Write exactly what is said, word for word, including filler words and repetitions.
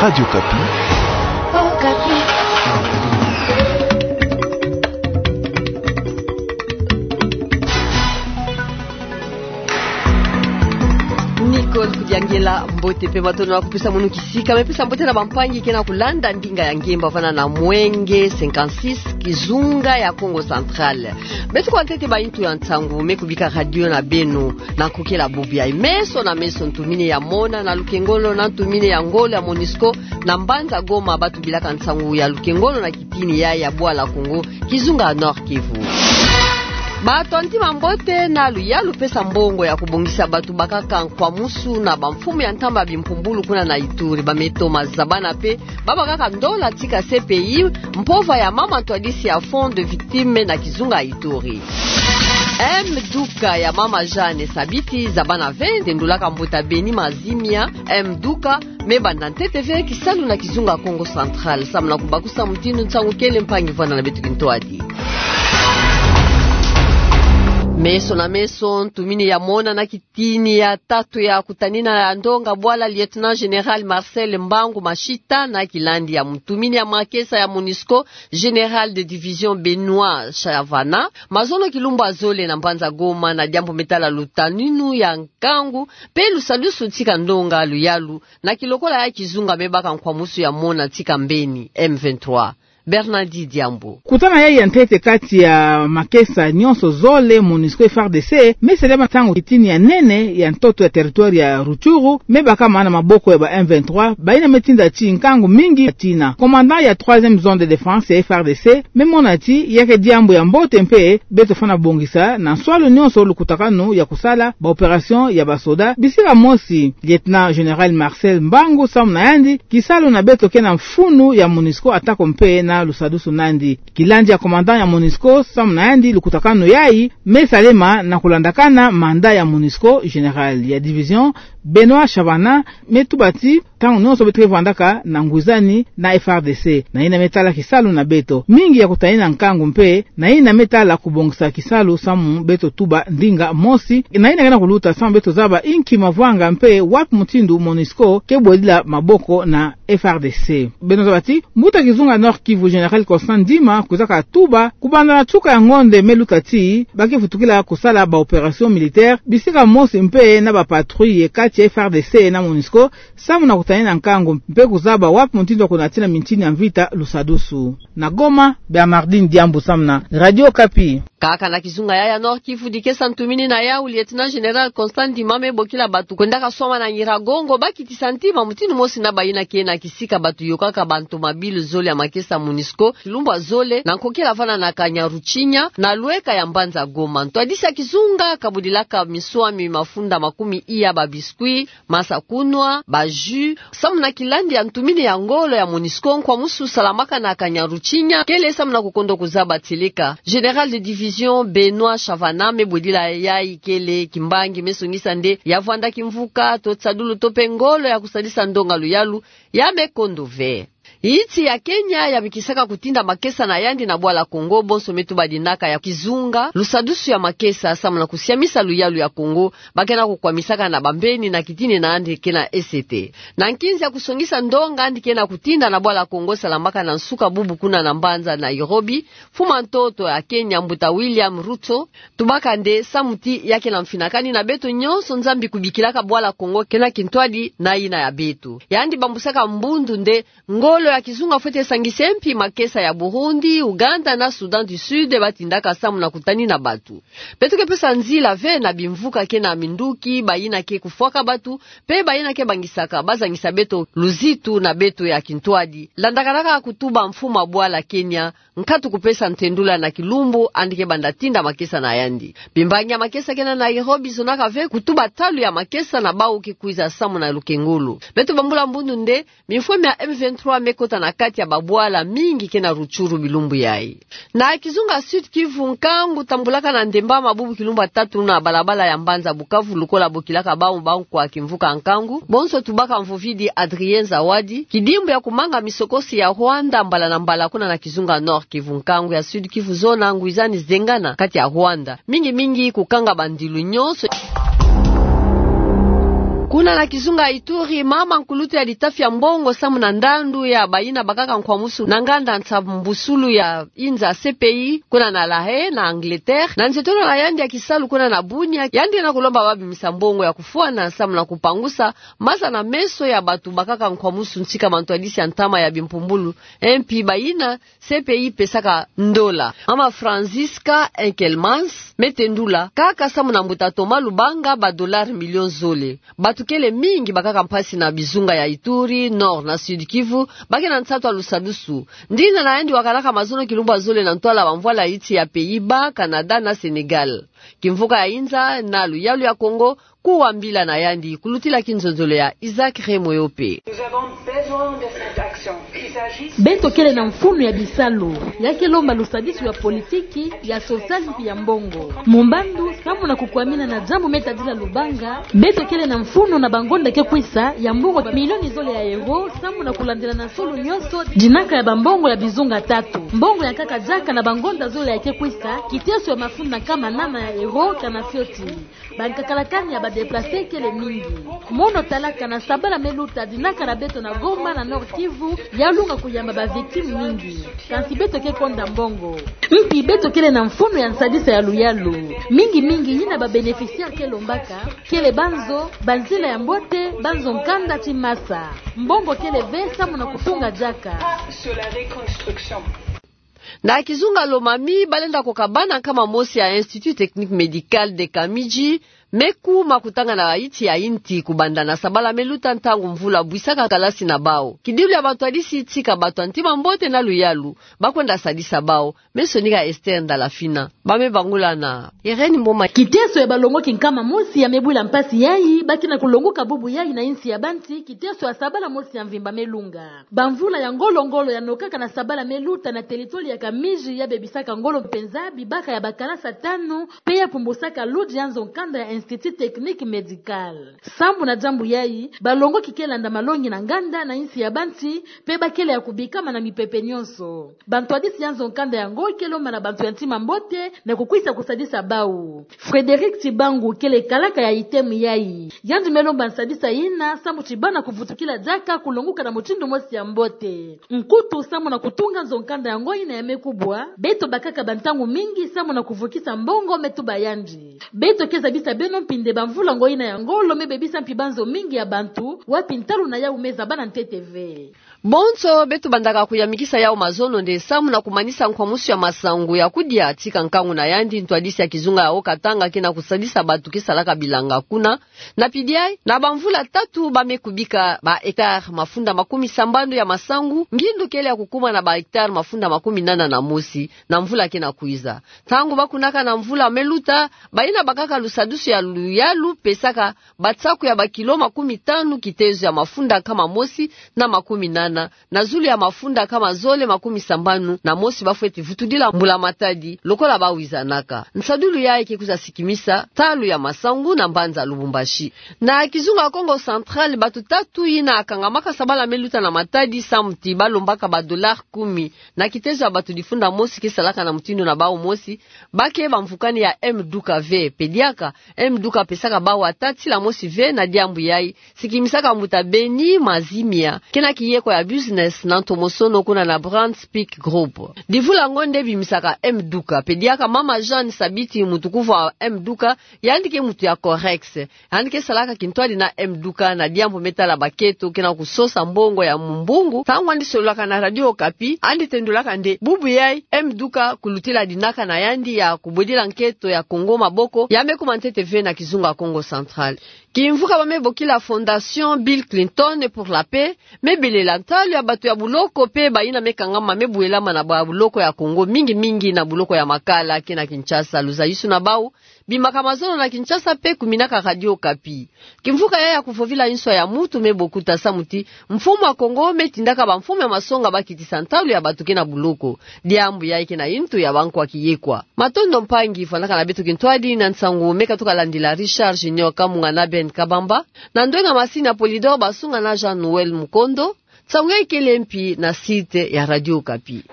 Radio Okapi. Nicole Kudiangela, mbote mpe matondo na kupesa munu kisika, me pesa mbote na bampangi ke na kulanda ndinga ya ngemba vana na Mwenge cinquante-six, kizunga ya Kongo Central. Beto kwa ntete ba intu ya nsangu me kubika radio na beno. Na nkokela bubu yayi, meso na meso ntumini ya mona na lukengolo na ntumini ya ngolo ya MONUSCO na mbanza Goma, ba tubilaka nsangu ya lukengolo na kitini yayi ya bwala Kongo, kizunga Nord-Kivu. Bato ya ntima mbote na luyalu pesa mbongo ya kubongisa bato bakaka nkwamusu na bamfumu ya ntamba bimpumbulu kuna na Ituri, ba Me Thomas Zabana mpe ba bakaka ndola tika C P I mpova ya mama ntwadisi ya Fonds de Victimes na kizunga Ituri. M Duka ya mama Jeanne Sabiti Zabana ve, tendulaka mbuta Beni Mazimia. M Duka me banda ntete ve kisalu na kizunga Kongo Central, samu na kubakusa mutindu nsangu kele mpangi vwanda na beto kintwadi. Meso na meso ntumini ya mona na ki- tini ya tatu ya kutanina ya ndonga bwala, Lieutenant Général Marcel Mbangu Mashita, na kilandi ya ntumini ya makesa ya MONUSCO, Général de Division Benoît Chavana, mazono kilumbu ya zole na mbanza Goma, na diambu me tala lutaninu ya nkangu mpe lusadusu tika ndonga luyalu, na kilokola ya kizunga me baka nkwamusu ya mona tika mbeni M vingt-trois. Bernardi Diambu. Kutana yayi ya ntete kati ya makesa nyonso zole, MONUSCO F R D C, me salema ntangu kitini ya nene ya ntoto ya territoire ya Rutshuru me bakama na maboko ya ba M vingt-trois, bayina me tinda ti nkangu mingi ya tina. Commandant ya troisième zone de défense ya F R D C me mona ti yake diambu ya mbote mpe beto fwana bongisa na nswalu nyonso lukutakanu ya kusala ba opération ya basoda, bisika mosi Lieutenant Général Marcel Mbangu samu na yandi kisalu na beto ke na mfunu ya MONUSCO atako mpe na lusadusu na yandi. Kilandi ya commandant ya MONUSCO samu na yandi lukutakanu yayi me salema na kulandakana mandat ya MONUSCO, Général ya division Benoît Chavana me tuba ti ntangu nyonso beto ke vwandaka na ngwizani na F R D C. Na yina me tala kisalu na beto mingi ya kutanina nkangu mpe na yina me tala kubongisa kisalu samu beto tuba ndinga mosi. Na yina ke na kuluta samu beto zaba inki mavwanga mpe wapi mutindu MONUSCO ke bwedila maboko na F R D C. Beno zaba ti mbuta kizunga Nord-Kivu Général Constant Ndima kwizaka tuba kubanda na nsuka ya ngonde me luta ti ba ke vutukila kusala ba opération militaire bisika mosi mpe na ba patrouille kati ya F R D C na MONUSCO samu na kutanina nkangu mpe kuzaba wapi mutindu ya kunatina mintini ya mvita lusadusu. Na Goma, Bernardine Diambu samu na Radio Okapi. Kaka na kizunga yayi ya Nord-Kivu, dikesa ntumini na yawu Lieutenant Général Constant Ndima me bokila bato kwendaka swama na Nyiragongo ba kitisa ntima mutindu mosi na bayina ke na kisika bato yokaka ba ntomabilu zole ya makesa MONUSCO kilumbu ya zole na nkokela vana na Kanyaruchinya na lweka ya mbanza Goma. Ntwadisi ya kizunga kabudilaka miswami mafunda makumi iya, ba biscuits, masakunwa, ba jus, samu na kilandi ya ntumini ya ngolo ya MONUSCO, nkwamusu salamaka na Kanyaruchinya kele samu na kukondo kuzaba tieleka Général de division Benoît Chavana me bwedila yayi kele kimbangi me songisa nde ya vwanda kimvuka to tisadulu to mpe ngolo ya kusadisa ndonga luyalu ya me kondo ve. Insi ya Kenya ya bikisaka kutinda makesa na yandi na bwala Kongo, bonso me tuba dinaka ya kizunga lusadusu ya makesa samu na kusiamisa luyalu ya Kongo, ba ke na kukwamisaka na bambeni na kitini na yandi ke na esete. Na nkinzi ya kusongisa ndonga yandi ke na kutinda na bwala Kongo salamaka na nsuka bubu kuna na mbanza Nairobi, mfumu a ntoto ya Kenya, mbuta William Ruto, tubaka nde samu ti ya ke na mfinakani na beto nyonso, Nzambi kubikilaka bwala Kongo ke na kintwadi na yina ya beto. Yandi bambusaka mbundu nde ngolo ya kizunga fwete sangisa mpi makesa ya Burundi, Ouganda na Soudan du Sud ba tindaka samu na kutanina bato. Beto ke pesa nzila ve na bimvuka ke na minduki, bayina ke kufwaka bato mpe bayina ke bangisaka, ba zangisa beto luzitu na beto ya kintwadi. Landakanaka kutuba mfumu a bwala Kenya, nkatu kupesa ntendula na kilumbu yandi ke banda tinda makesa na yandi. Bimbangi ya makesa ke na Nairobi zonaka ve kutuba talu ya makesa na bawu ke kwiza samu na lukengolo. Beto bambula mbundu nde mifweme ya M vingt-trois me kota na kati ya babwala mingi ke na Rutshuru bilumbu yayi. Na kizunga Sud-Kivu, nkangu tambulaka na ndemba mabubu kilumbu ya tatu na balabala ya mbanza Bukavu, lokola bokilaka bawu bankwa kimvuka nkangu, bonso tubaka mvovidi Adrien Zawadi, kidimbu ya kumanga misokosi ya Rwanda mbala na mbala kuna na kizunga Nord-Kivu. Nkangu ya Sud-Kivu zona ngwizani zengana kati ya Rwanda, mingi mingi kukanga bandilu nyonso. Kuna na kizunga Ituri, mama nkulutu ya litafi ya mbongo samu na ndandu ya bayina bakaka nkwamusu na nganda nsambusulu ya inza C P I, kuna na La Haye, na Angleterre, na nzietolo na yandi ya kisalu kuna na Bunia, yandi na kulomba babimisa mbongo ya kufwana samu na kupangusa maza na meso ya batu bakaka nkwamusu ntika mantwadisi ya ntama ya bimpumbulu, mpi bayina C P I pesaka ndola. Mama Franziska Enkelmans me tendula kaka samu na mbuta Thomas Lubanga ba dollar million zole. Batu kele mingi bakaka mpasi na bizunga ya Ituri, Nord na Sud Kivu, ba ke na nsatu ya lusadusu. Ndinga na yandi wakalaka mazono kilumbu ya zole na ntwala bamvwala iti ya Pays-Bas, Canada na Sénégal. Kimvuka ya inza na luyalu ya Kongo, kuwa mbila na yandi, kulutila kinzonzolo ya Isaac Remoyope. Nous avons besoin de cette action. Il s'agit... Beto kele na mfunu ya bisalu, ya ke lomba lusadisu ya politiki, ya sosiali mpi ya mbongo. Mu mbandu, samu na kukwamina na diambu me tadila Lubanga, beto kele na mfunu na bangonda ke kwisa ya mbongo milioni zole ya euro, samu na kulandila na solo nyonso dinaka ya bambongo ya bizunga tatu. Mbongo ya nkaka diaka na bangonda zole ya ke kwisa, kiteso ya mafunda nkama nana ya euro, kana fioti. Bankakalakani ya ba déplacés kele mingi. Mono talaka na sabala me luta dinaka na beto na Goma na Nord-Kivu, ya lunga kuyamba ba victimes mingi. Kansi beto ke konda mbongo. Mpi beto kele na mfunu ya nsadisa ya luyalu. Mingi mingi yina ba bénéficiaires ke lombaka, kele banzo, banzila ya mbote, banzo nkanda ti masa. Mbongo kele ve samu na kutunga diaka. Na kizunga Lomami, balenda koka bana nkama mosi ya Institut Technique Médical de Kamidji, me kuma kutanga na iti ya inti kubanda na sabala me luta ntangu mvula bwisaka kalasi na bau. Kidilu ya bantwadisi tika batu ya ntima mbote na luyalu, ba kwenda sadisa bau, me sonika Esther Ndalafina. Ba me bangula na Irène Mboma. Kiteso ya balongoki nkama mosi ya me bwila mpasi yayi, ba ke na kulonguka bubu yayi na insi ya banti, kiteso ya sabala mosi ya mvimba me lunga. Bamvula ya ngolo-ngolo ya nokaka na sabala me luta na territoire ya Kamidji ya bebisaka ngolo mpenza bibaka ya bakalasa tanu, pe ya pumbusaka ludi ya nzo nkanda ya Institut Technique Médical. Sambu na diambu yayi, balongoki ke landa malongi na nganda na insi ya banti, pe ba kele ya kubikama na mipepe nyonso. Bantwadisi ya nzo nkanda yango ke lomba na bantu ya ntima mbote na kukwisa kusadisa bau. Frédéric Tibangu kele kalaka ya item yayi. Yandi me lomba nsadisa yina, samu ti bana kuvutukila diaka kulonguka na mutindu mosi ya mbote. Nkutu samu na kutunga nzo nkanda yango yina ya me kubwa, beto bakaka bantangu mingi samu na kuvukisa mbongo me tuba yandi. Beto ke zabisa beno mpi nde bamvula ngo yina ya ngolo me bebisa mpi banzo mingi ya bantu, wapi ntalu na yau me zaba na ntete ve. Bonso beto bandaka kuyamikisa yau mazono nde samu na kumanisa nkwamusu ya masangu ya kudia tika nkangu na yandi ntwadisi ya kizunga ya Haut-Katanga ke na kusadisa batu ke salaka bilanga kuna. Na pidi yayi, na bamvula tatu ba me kubika ba hectares mafunda makumi sambanu ya masangu, ngindu kele ya kukuma na ba hectares mafunda makumi nana na mosi, na mvula ke na kwiza. Ntangu ba kunaka na mvula me luta, bayina bakaka lusadusu ya luyalu pesaka batsaku ya bakilo makumi tanu kitezo ya mafunda nkama mosi na makumi nana, na zulu ya mafunda nkama zole makumi sambanu na mosi ba fweti vutudila mbula matadi, lokola ba wizanaka. Nsadulu yayi ke kwiza sikimisa ntalu ya masangu na mbanza Lubumbashi. Na kizunga Kongo Central, batu tatu yina kangamaka sabala me luta na matadi samu ti ba lombaka ba dollars kumi na kitezo ya batu difunda mosi ke salaka na mutindu na bau mosi, ba ke bamvukani ya M Duka ve. Pe diaka, M Duka pesaka bau ata tila mosi ve na diambu yayi, sikimisaka mbuta Beni Mazimia, ke na kiyekwa ya business na ntomosono kuna na Brand Speak Group. Divula ngo nde bimisaka M Duka. Pe diaka mama Jeanne Sabiti, muntu kuvwa M Duka, yandi ke muntu ya Corex. Yandi ke salaka kintwadi na M Duka na diambu me tala ba nketo ke na kusosa mbongo ya mumbungu. Ntangu yandi sololaka na Radio Okapi, yandi tendulaka nde bubu yayi M Duka kulutila dinaka na yandi ya kubwedila nketo ya Kongo maboko, ya me kuma ntete ve na kizunga Kongo Central. Kimvuka ba me bokila Fondation Bill Clinton pour la Paix me belela ntalu ya batu ya buloko pe bayina me kangama me bwelama na ba buloko ya Kongo, mingi mingi na buloko ya Makala ke na Kinshasa. Luzayusu na bau bimaka mazono na Kinshasa pe kuminaka Radio Okapi. Kimvuka yayi ya kuvovila nswa ya mutu me bokuta samu ti mfumu wa Kongo me tindaka bamfumu ya masonga ba kitisa ntalu ya batu ke na buloko. Diambu yayi ke na yintu ya bankwa kiyekwa. Matondo mpangi, fwanaka na beto kintwadi na nsangu me katuka landila. Richard Junior Kamunga na Ben Kabamba, na ndwenga masini ya Polydor Basunga na Jean Noël Mukondo. Nsangu yayi kele mpi na site ya Radio Okapi.